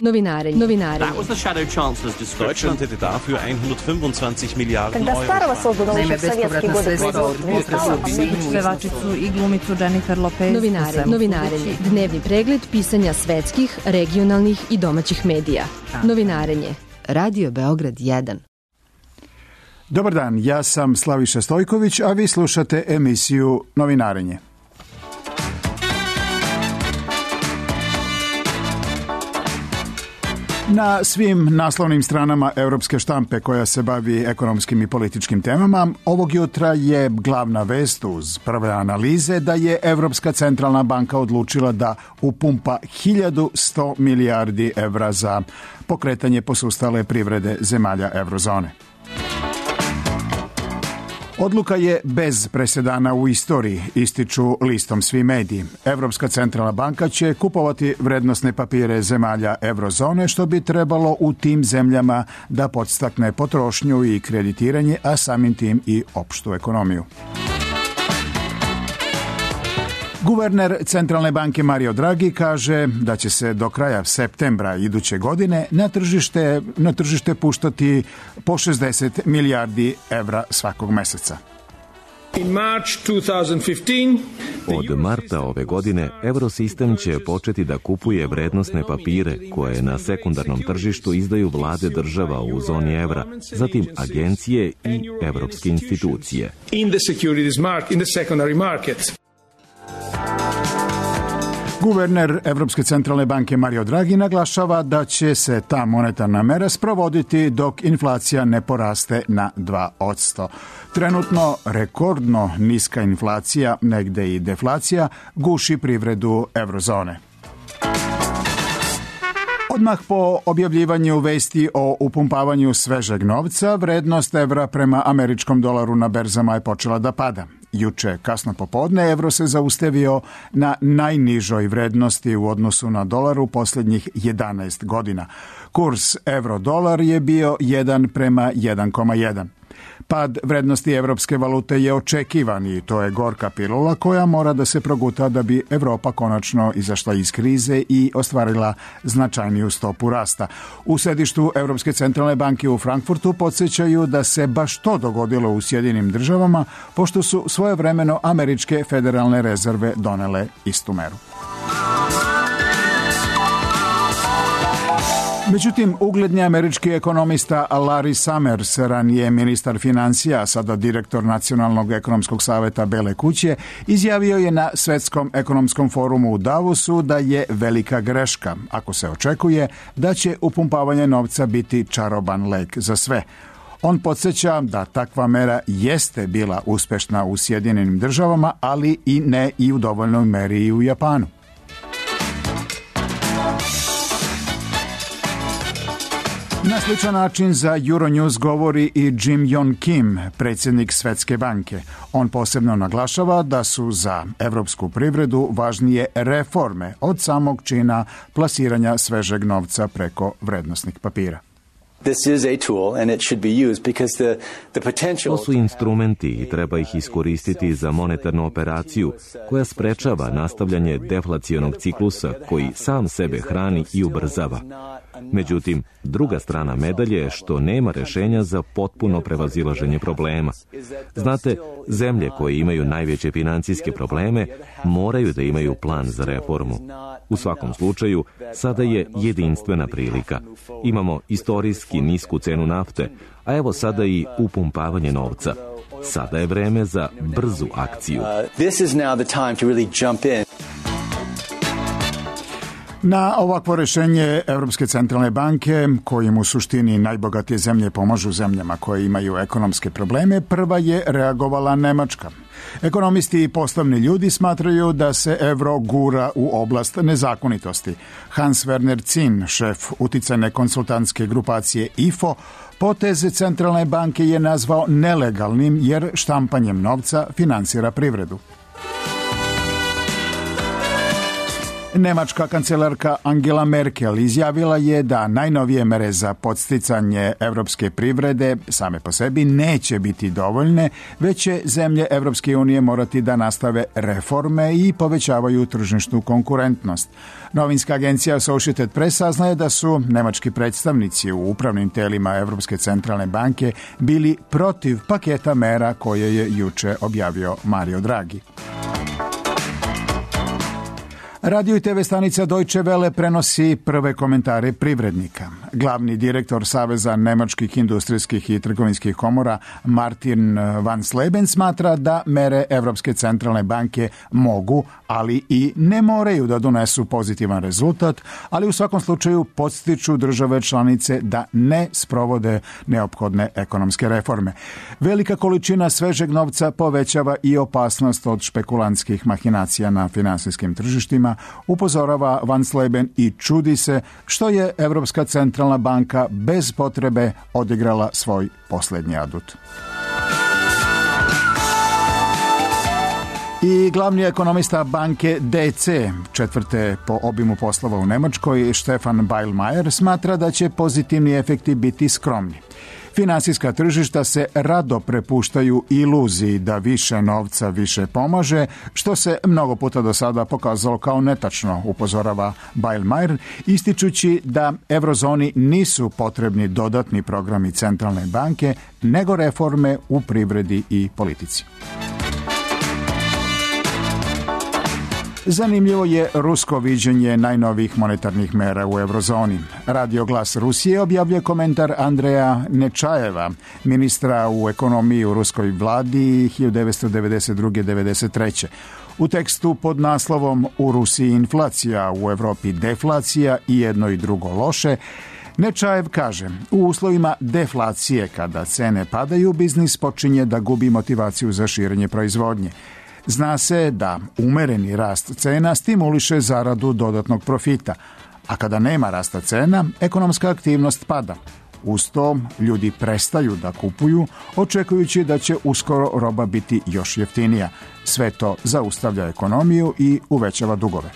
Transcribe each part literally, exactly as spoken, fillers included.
Novinarenje. Novinarenje. That was the shadow chancellor's description. Deutschland hätte dafür hundertfünfundzwanzig Miliarden Когда Старого создано еще в советские годы производство. Pevačicu i glumicu Jennifer Lopez. Novinarenje. Novinarenje. Dnevni pregled pisanja svetskih, regionalnih i domaćih medija. Novinarenje. Radio Beograd jedan. Dobar dan, ja sam Slaviša Stojković, a vi slušate emisiju Novinarenje. Na svim naslovnim stranama europske štampe koja se bavi ekonomskim i političkim temama, ovog jutra je glavna vest uz prve analize da je Evropska centralna banka odlučila da upumpa hiljadu sto milijardi evra za pokretanje posustale privrede zemalja eurozone. Odluka je bez presedana u istoriji, ističu listom svi mediji. Evropska centralna banka će kupovati vrednosne papire zemalja eurozone, što bi trebalo u tim zemljama da podstakne potrošnju i kreditiranje, a samim tim i opštu ekonomiju. Guverner Centralne banke Mario Draghi kaže da će se do kraja septembra iduće godine na tržište, na tržište puštati po šezdeset milijardi evra svakog meseca. Od marta ove godine Eurosistem će početi da kupuje vrednosne papire koje na sekundarnom tržištu izdaju vlade država u zoni evra, zatim agencije i evropske institucije. Guverner Evropske centralne banke Mario Draghi naglašava da će se ta monetarna mera sprovoditi dok inflacija ne poraste na dva posto. Trenutno rekordno niska inflacija, negde i deflacija, guši privredu eurozone. Odmah po objavljivanju vesti o upumpavanju svežeg novca, vrednost evra prema američkom dolaru na berzama je počela da pada. Juče, kasno popodne, evro se zaustavio na najnižoj vrednosti u odnosu na dolar u posljednjih jedanaest godina. Kurs euro-dolar je bio jedan prema jedan zarez jedan. Pad vrednosti evropske valute je očekivan i to je gorka pilula koja mora da se proguta da bi Evropa konačno izašla iz krize i ostvarila značajniju stopu rasta. U sedištu Evropske centralne banke u Frankfurtu podsjećaju da se baš to dogodilo u Sjedinim državama, pošto su svojevremeno američke federalne rezerve donele istu meru. Međutim, ugledni američki ekonomista Larry Summers, ranije ministar financija, sada direktor Nacionalnog ekonomskog saveta Bele kuće, izjavio je na Svetskom ekonomskom forumu u Davosu da je velika greška ako se očekuje da će upumpavanje novca biti čaroban lek za sve. On podsjeća da takva mera jeste bila uspešna u Sjedinjenim državama, ali i ne i u dovoljnoj meri i u Japanu. Na sličan način za Euronews govori i Jim Yong Kim, predsjednik Svetske banke. On posebno naglašava da su za evropsku privredu važnije reforme od samog čina plasiranja svežeg novca preko vrednosnih papira. To su instrumenti i treba ih iskoristiti za monetarnu operaciju koja sprečava nastavljanje deflacionog ciklusa koji sam sebe hrani i ubrzava. Međutim, druga strana medalje je što nema rešenja za potpuno prevazilaženje problema. Znate, zemlje koje imaju najveće financijske probleme moraju da imaju plan za reformu. U svakom slučaju, sada je jedinstvena prilika. Imamo istorijski nisku cenu nafte, a evo sada i upumpavanje novca. Sada je vreme za brzu akciju. Na ovakvo rešenje Evropske centralne banke, kojim u suštini najbogatije zemlje pomažu zemljama koje imaju ekonomske probleme, prva je reagovala Nemačka. Ekonomisti i poslovni ljudi smatraju da se evro gura u oblast nezakonitosti. Hans Werner Zinn, šef uticajne konsultantske grupacije I F O, poteze centralne banke je nazvao nelegalnim jer štampanjem novca finansira privredu. Nemačka kancelarka Angela Merkel izjavila je da najnovije mere za podsticanje evropske privrede same po sebi neće biti dovoljne, već će zemlje Evropske unije morati da nastave reforme i povećavaju tržišnu konkurentnost. Novinska agencija Associated Press saznaje da su nemački predstavnici u upravnim telima Evropske centralne banke bili protiv paketa mera koje je juče objavio Mario Draghi. Radio i te ve stanica Deutsche Welle prenosi prve komentare privrednika. Glavni direktor Saveza nemačkih industrijskih i trgovinskih komora Martin van Sleben smatra da mere Evropske centralne banke mogu, ali i ne moraju da donesu pozitivan rezultat, ali u svakom slučaju podstiču države članice da ne sprovode neophodne ekonomske reforme. Velika količina svežeg novca povećava i opasnost od špekulantskih mahinacija na finansijskim tržištima, upozorava Van Sleben i čudi se što je Evropska centralna banka bez potrebe odigrala svoj posljednji adut. I glavni ekonomista banke D C, četvrte po obimu poslova u Nemačkoj, Stefan Beilmeier, smatra da će pozitivni efekti biti skromni. Finansijska tržišta se rado prepuštaju iluziji da više novca više pomaže, što se mnogo puta do sada pokazalo kao netačno, upozorava Beilmeier, ističući da eurozoni nisu potrebni dodatni programi centralne banke, nego reforme u privredi i politici. Zanimljivo je rusko viđenje najnovijih monetarnih mera u eurozoni. Radio Glas Rusije objavljuje komentar Andreja Nečajeva, ministra u ekonomiji u ruskoj vladi hiljadu devetsto devedeset druge do devedeset treće. U tekstu pod naslovom U Rusiji inflacija, u Evropi deflacija i jedno i drugo loše, Nečajev kaže, u uslovima deflacije kada cene padaju, biznis počinje da gubi motivaciju za širenje proizvodnje. Zna se da umereni rast cena stimuliše zaradu dodatnog profita, a kada nema rasta cena, ekonomska aktivnost pada. Uz to, ljudi prestaju da kupuju, očekujući da će uskoro roba biti još jeftinija. Sve to zaustavlja ekonomiju i uvećava dugove.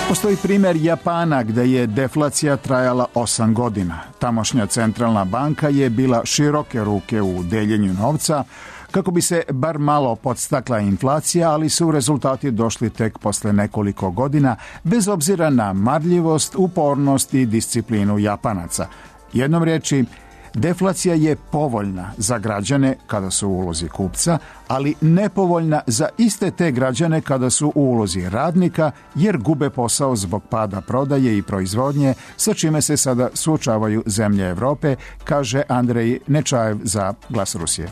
Postoji primjer Japana gde je deflacija trajala osam godina. Tamošnja centralna banka je bila široke ruke u deljenju novca kako bi se bar malo podstakla inflacija, ali su rezultati došli tek posle nekoliko godina, bez obzira na marljivost, upornost i disciplinu Japanaca. Jednom riječi, deflacija je povoljna za građane kada su u ulozi kupca, ali nepovoljna za iste te građane kada su u ulozi radnika, jer gube posao zbog pada prodaje i proizvodnje, sa čime se sada suočavaju zemlje Evrope, kaže Andrej Nečajev za Glas Rusije.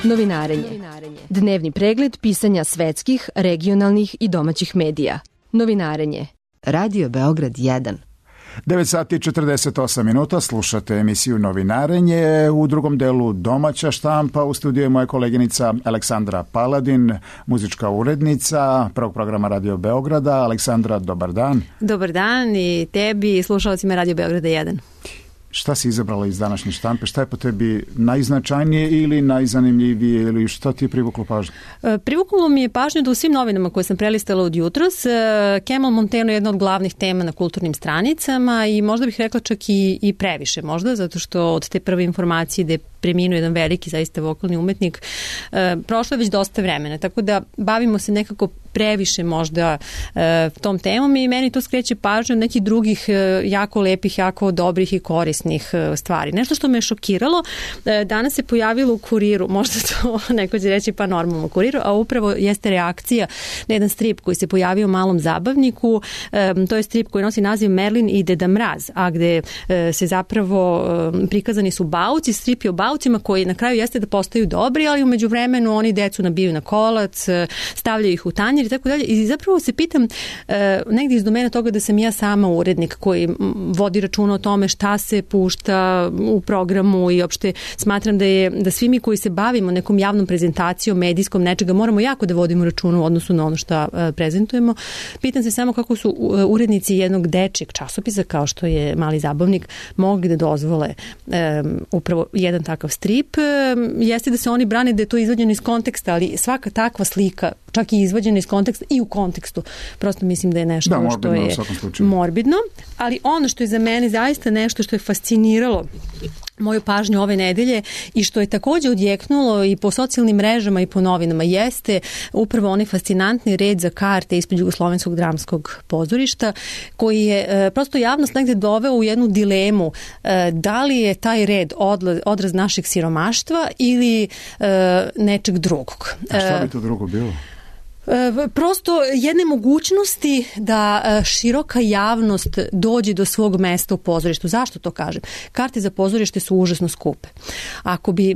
Novinarenje. Dnevni pregled pisanja svetskih, regionalnih i domaćih medija. Novinarenje. Radio Beograd jedan. devet sati i četrdeset osam minuta, slušate emisiju Novinarenje. U drugom delu domaća štampa, u studiju je moja koleginica Aleksandra Paladin, muzička urednica prvog programa Radio Beograda. Aleksandra, dobar dan. Dobar dan i tebi i slušalcima Radio Beograda jedan. Šta si izabrala iz današnje štampe? Šta je po tebi najznačajnije ili najzanimljivije ili što ti je privuklo pažnju? Privuklo mi je pažnju da u svim novinama koje sam prelistala od jutros, Kemal Monteno je jedna od glavnih tema na kulturnim stranicama i možda bih rekla čak i, i previše možda, zato što od te prve informacije da je preminuo jedan veliki zaista vokalni umetnik, prošlo je već dosta vremena, tako da bavimo se nekako previše možda tom temom i meni to skreće pažnju od nekih drugih jako lepih, jako dobrih i korisnih stvari. Nešto što me je šokiralo, danas se pojavilo u Kuriru, možda to neko će reći pa normalno u Kuriru, a upravo jeste reakcija na jedan strip koji se pojavio u Malom zabavniku. To je strip koji nosi naziv Merlin i Deda Mraz, a gde se zapravo prikazani su bauci, strip je o baucima koji na kraju jeste da postaju dobri, ali umeđu vremenu oni decu nabiju na kolac, stavljaju ih u tanjir i tako dalje. I zapravo se pitam negdje iz domena toga da sam ja sama urednik koji vodi računa o tome šta se pušta u programu i opšte smatram da je da svi mi koji se bavimo nekom javnom prezentacijom, medijskom nečega, moramo jako da vodimo računa u odnosu na ono što prezentujemo. Pitam se samo kako su urednici jednog dečjeg časopisa kao što je Mali zabavnik mogli da dozvole um, upravo jedan takav strip. Um, jeste da se oni brane da je to izvađeno iz konteksta, ali svaka takva slika čak i izvađena iz konteksta i u kontekstu. Prosto mislim da je nešto da, morbidno, što je morbidno. Ali ono što je za mene zaista nešto što je fasciniralo moju pažnju ove nedelje i što je također odjeknulo i po socijalnim mrežama i po novinama jeste upravo onaj fascinantni red za karte ispred Jugoslovenskog dramskog pozorišta koji je e, prosto javnost negde doveo u jednu dilemu e, da li je taj red odla, odraz našeg siromaštva ili e, nečeg drugog. A šta bi to drugo bilo? Prosto jedne mogućnosti da široka javnost dođe do svog mesta u pozorištu. Zašto to kažem? Karte za pozorište su užasno skupe. Ako bi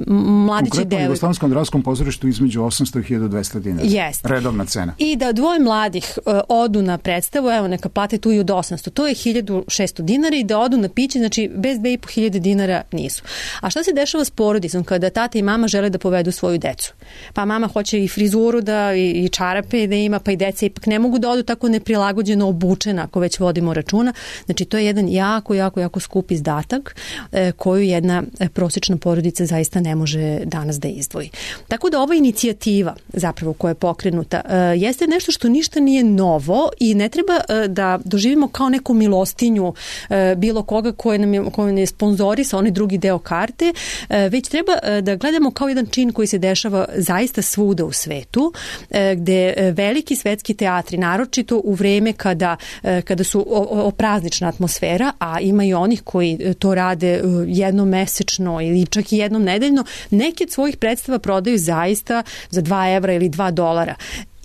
mladići konkretno u Jugoslavenskom dramskom pozorištu između osamsto i hiljadu dvesta dinara. Jest. Redovna cena. I da dvoje mladih odu na predstavu, evo neka plate tu i od osamsto, to je hiljadu šesto dinara i da odu na piće, znači bez dve i po hiljade dinara nisu. A šta se dešava s porodicom kada tata i mama žele da povedu svoju decu? Pa mama hoće i frizuru da i čarape da ima, pa i deca ipak ne mogu da odu tako neprilagođeno obučena ako već vodimo računa. Znači to je jedan jako, jako, jako skup izdatak e, koju jedna prosječna porodica zaista ne može danas da izdvoji. Tako da ova inicijativa zapravo koja je pokrenuta e, jeste nešto što ništa nije novo i ne treba e, da doživimo kao neku milostinju e, bilo koga koje nam je, koje nam je sponzorisa onaj drugi deo karte, e, već treba e, da gledamo kao jedan čin koji se dešava zaista svuda u svetu, e, gde veliki svetski teatri, naročito u vreme kada, kada su opraznična atmosfera, a ima i onih koji to rade jednom mesečno ili čak i jednom nedeljno, neke od svojih predstava prodaju zaista za dva evra ili dva dolara.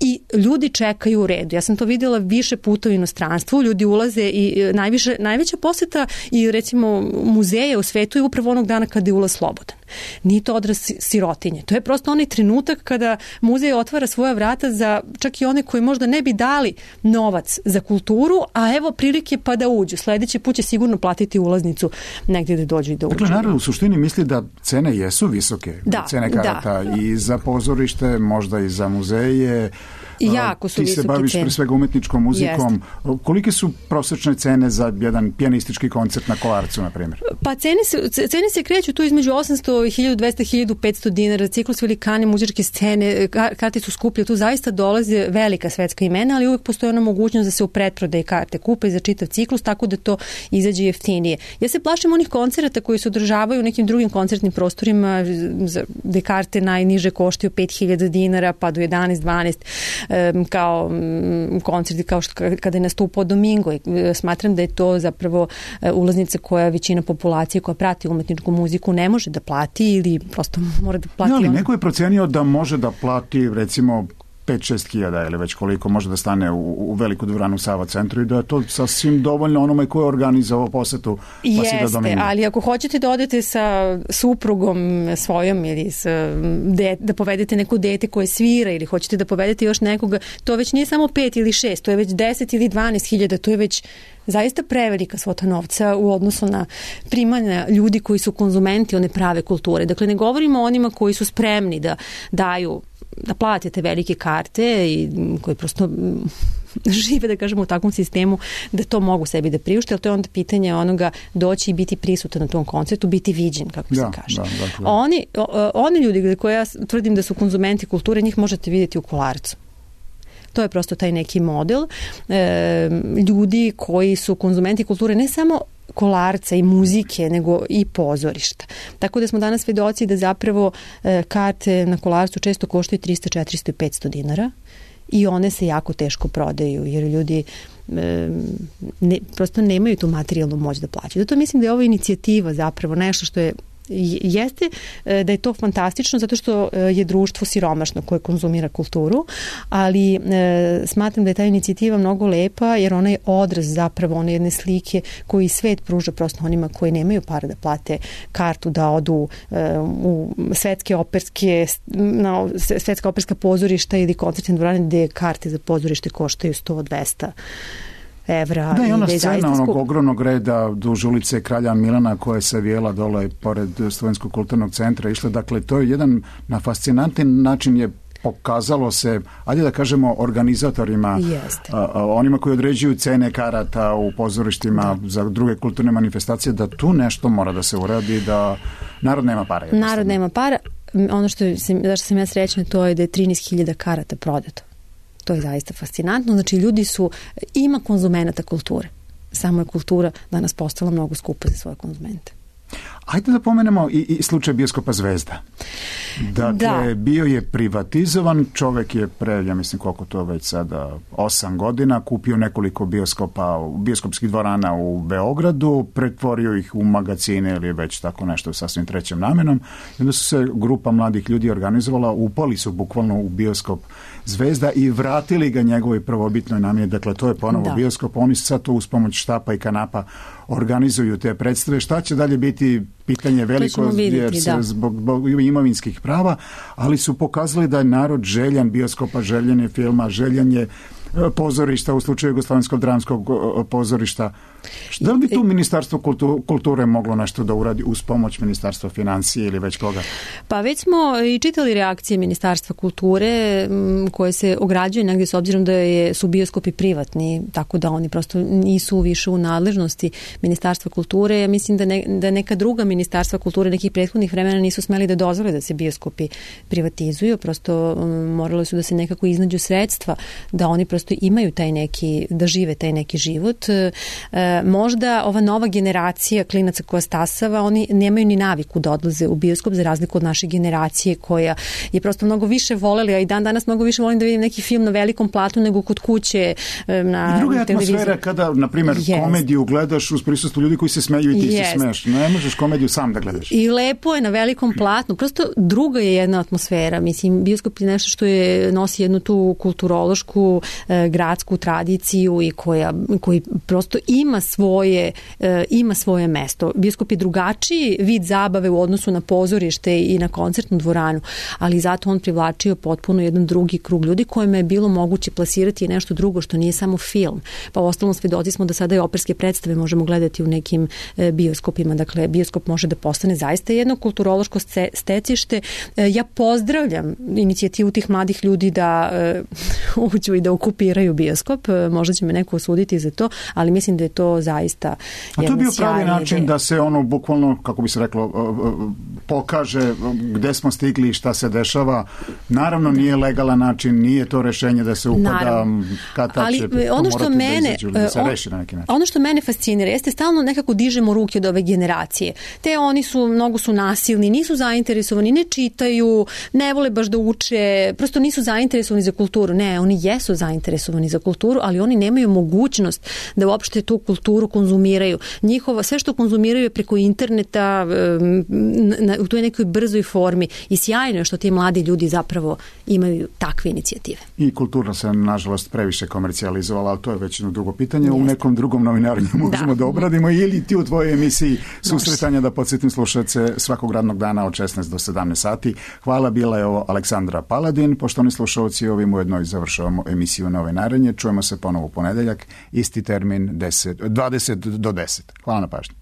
I ljudi čekaju u redu. Ja sam to vidjela više puta u inostranstvu, ljudi ulaze i najviše, najveća poseta i recimo muzeje u svetu je upravo onog dana kada je ulaz slobodan. Nije to odraz sirotinje. To je prosto onaj trenutak kada muzej otvara svoja vrata za čak i one koji možda ne bi dali novac za kulturu, a evo prilike pa da uđu. Sljedeći put će sigurno platiti ulaznicu negdje da dođu i da uđu. Dakle, narod u suštini misli da cene jesu visoke. Da, cene karata da. I za pozorište, možda i za muzeje. Jako su ti se baviš cene. Pre svega umetničkom muzikom. Jeste. Kolike su prosječne cene za jedan pijanistički koncert na Kolarcu, na primjer? Pa cene se, cene se kreću tu između osamsto i hiljadu dvesta do hiljadu petsto dinara. Ciklus velikane muzičke scene, karte su skuplje. Tu zaista dolaze velika svetska imena, ali uvijek postoji ona mogućnost da se u pretprodaji karte kupe za čitav ciklus, tako da to izađe jeftinije. Ja se plašim onih koncerata koji se održavaju u nekim drugim koncertnim prostorima, gde karte najniže koštaju pet hiljada dinara, pa do jedanaest dvanaest kao koncerti kao što kada je nastupao Domingo. Smatram da je to zapravo ulaznica koja većina populacije koja prati umetničku muziku ne može da plati ili prosto mora da plati. No, ali on... neko je procenio da može da plati recimo pet šest hiljada ili već koliko može da stane u, u veliku dvoranu Sava centru i da je to sasvim dovoljno onome ko je organizovao posetu. Pa jeste, si da ali ako hoćete da odete sa suprugom svojom ili sa, de, da povedete neko dete koje svira ili hoćete da povedete još nekoga, to već nije samo pet ili šest, to je već deset ili dvanaest hiljada, to je već zaista prevelika svota novca u odnosu na primanja ljudi koji su konzumenti one prave kulture. Dakle, ne govorimo o onima koji su spremni da daju da platite velike karte i koji prosto žive, da kažemo, u takvom sistemu da to mogu sebi da priušte, ali to je onda pitanje onoga doći i biti prisutan na tom koncertu, biti viđen, kako da, se kaže. Da, dakle. Oni, oni ljudi koje ja tvrdim da su konzumenti kulture, njih možete vidjeti u Kolarcu. To je prosto taj neki model e, ljudi koji su konzumenti kulture, ne samo Kolarca i muzike, nego i pozorišta. Tako da smo danas svedoci da zapravo e, karte na Kolarcu često koštaju tristo, četiristo i petsto dinara i one se jako teško prodaju, jer ljudi e, ne, prosto nemaju tu materijalnu moć da plaćaju. Zato mislim da je ova inicijativa zapravo nešto što je jeste da je to fantastično zato što je društvo siromašno koje konzumira kulturu, ali e, smatram da je ta inicijativa mnogo lepa jer ona je odraz zapravo one jedne slike koju svet pruža prosto onima koji nemaju para da plate kartu da odu e, u svetske operske na svetska operska pozorišta ili koncertne dvorane gde karte za pozorište koštaju sto do dvesta evra. Da, i ona scena onog ogromnog reda duž ulice Kralja Milana koja se vijela dole pored Studenskog kulturnog centra išla, dakle to je jedan na fascinantan način je pokazalo se, ajde da kažemo organizatorima, a, a, onima koji određuju cene karata u pozorištima da. Za druge kulturne manifestacije, da tu nešto mora da se uradi, da narod nema para. Narod nema para. Ono što sam, zašto sam ja srećna to je da je trinaest hiljada karata prodato. To je zaista fascinantno. Znači, ljudi su, ima konzumenata kulture. Samo je kultura danas postala mnogo skupa za svoje konzumente. Ajde da pomenemo i, i slučaj bioskopa Zvezda. Dakle, da. Bio je privatizovan, čovek je pre, ja mislim koliko to već sada, osam godina, kupio nekoliko bioskopa, bioskopskih dvorana u Beogradu, pretvorio ih u magazine ili već tako nešto sasvim trećem namenom. I onda su se grupa mladih ljudi organizovala, upali su bukvalno u bioskop Zvezda i vratili ga njegovoj prvobitnoj namjeni. Dakle, to je ponovo da. Bioskop. Oni sad to uz pomoć štapa i kanapa organizuju te predstave. Šta će dalje biti pitanje veliko vidjeti, jer se da. Zbog, zbog imovinskih prava, ali su pokazali da je narod željan bioskopa, željan je filma, željan je pozorišta, u slučaju Jugoslovenskog dramskog pozorišta. Da li bi tu Ministarstvo kulture moglo nešto da uradi uz pomoć Ministarstva financije ili već koga? Pa već smo i čitali reakcije Ministarstva kulture koje se ograđuju negdje s obzirom da je, su bioskopi privatni, tako da oni prosto nisu više u nadležnosti Ministarstva kulture. Ja mislim da, ne, da neka druga Ministarstva kulture nekih prethodnih vremena nisu smeli da dozvole da se bioskopi privatizuju, prosto um, morali su da se nekako iznađu sredstva da oni prosto imaju taj neki, da žive taj neki život. E, možda ova nova generacija klinaca koja stasava, oni nemaju ni naviku da odlaze u bioskop za razliku od naše generacije koja je prosto mnogo više voljela, a i dan danas mnogo više volim da vidim neki film na velikom platnu nego kod kuće na I druga televiziji. Atmosfera kada, na primjer, yes. komediju gledaš uz prisustvo ljudi koji se smeju i ti yes. se smeješ. Ne možeš komediju sam da gledaš. I lepo je na velikom platnu. Prosto druga je jedna atmosfera. Mislim, bioskop je nešto što je, nosi jednu tu kulturološku gradsku tradiciju i koja, koji prosto ima svoje, ima svoje mesto. Bioskop je drugačiji vid zabave u odnosu na pozorište i na koncertnu dvoranu, ali zato on privlačio potpuno jedan drugi krug ljudi kojima je bilo moguće plasirati nešto drugo što nije samo film. Pa u ostalom svedoci smo da sada i operske predstave možemo gledati u nekim bioskopima. Dakle, bioskop može da postane zaista jedno kulturološko stecište. Ja pozdravljam inicijativu tih mladih ljudi da uđu i da okupiraju bioskop. Možda će me neko osuditi za to, ali mislim da je to zaista A to je bio pravi način ideja. Da se ono bukvalno, kako bi se reklo, pokaže gde smo stigli i šta se dešava. Naravno da. Nije legalan način, nije to rešenje da se upada kad ta će ono što mene, da, da se reši na neki način. Ono što mene fascinira jeste stalno nekako dižemo ruke od ove generacije. Te oni su, mnogo su nasilni, nisu zainteresovani, ne čitaju, ne vole baš da uče, prosto nisu zainteresovani za kulturu. Ne, oni jesu zainteresovani za kulturu, ali oni nemaju mogućnost da uopšte tu kulturu konzumiraju. Njihova, sve što konzumiraju je preko interneta, na, u toj nekoj brzoj formi i sjajno je što ti mladi ljudi zapravo imaju takve inicijative. I kultura se, nažalost, previše komercijalizovala, ali to je već jedno drugo pitanje. Jeste. U nekom drugom novinarenju možemo da, da obradimo ili ti u tvojoj emisiji susretanja da podsjetim slušalce svakog radnog dana od šesnaest do sedamnaest sati. Hvala, bila je ovo Aleksandra Paladin. Poštovani slušalci, ovim ujedno i završavamo emisiju Novinarenje. Čujemo se ponovo u ponedeljak, isti termin deset, dvadeset do deset. Hvala na pažnji.